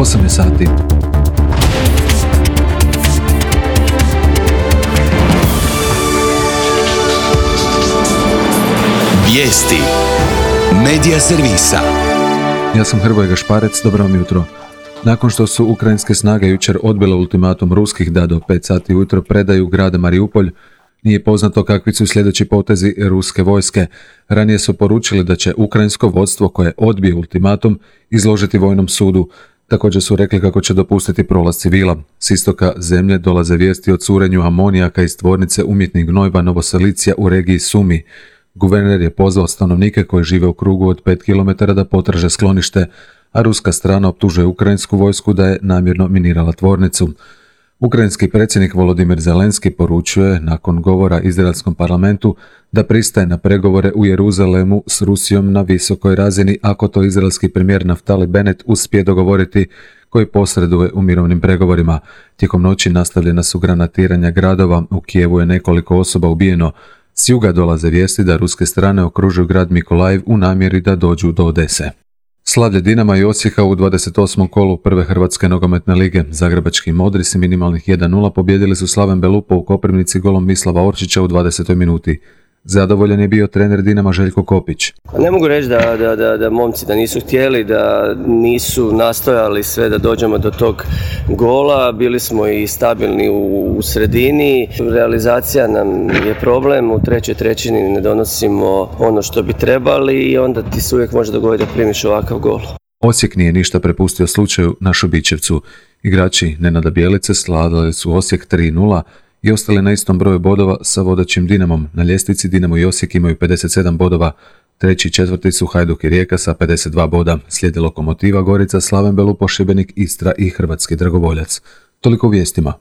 8 je sati. Vijesti Medija servisa. Ja sam Hrvoje Gašparec, dobro vam jutro. Nakon što su ukrajinske snage jučer odbile ultimatum ruskih da do 5 sati ujutro predaju grad Mariupolj, nije poznato kakvi su sljedeći potezi ruske vojske. Ranije su poručili da će ukrajinsko vodstvo koje odbije ultimatum izložiti vojnom sudu. Također su rekli kako će dopustiti prolaz civila. S istoka zemlje dolaze vijesti o curenju amonijaka iz tvornice umjetnih gnojiva Novoselicija u regiji Sumi. Guverner je pozvao stanovnike koji žive u krugu od 5 km da potraže sklonište, a ruska strana optužuje ukrajinsku vojsku da je namjerno minirala tvornicu. Ukrajinski predsjednik Volodimir Zelenski poručuje nakon govora izraelskom parlamentu da pristaje na pregovore u Jeruzalemu s Rusijom na visokoj razini ako to izraelski premijer Naftali Bennett uspije dogovoriti, koji posreduje u mirovnim pregovorima. Tijekom noći nastavljena su granatiranja gradova, u Kijevu je nekoliko osoba ubijeno. S juga dolaze vijesti da ruske strane okružuju grad Mikolajiv u namjeri da dođu do Odese. Slavlje Dinama i Osijeka u 28. kolu prve Hrvatske nogometne lige. Zagrebački modri s minimalnih 1:0 pobijedili su Slaven Belupo u Koprivnici golom Mislava Orčića u 20. minuti. Zadovoljan je bio trener Dinama Željko Kopić. Ne mogu reći da momci da nisu htjeli, da nisu nastojali sve da dođemo do tog gola. Bili smo i stabilni u sredini. Realizacija nam je problem. U trećoj trećini ne donosimo ono što bi trebali i onda ti se uvijek može dogoditi da primiš ovakav gol. Osijek nije ništa prepustio slučaju na Šubićevcu. Igrači Nenada Bjelice slavili su Osijek 3:0 i ostali na istom broju bodova sa vodećim Dinamom. Na ljestvici Dinamo i Osijek imaju 57 bodova, treći i četvrti su Hajduk i Rijeka sa 52 boda, slijedi Lokomotiva, Gorica, Slaven Belupo, Šibenik, Istra i Hrvatski Dragovoljac. Toliko u vijestima.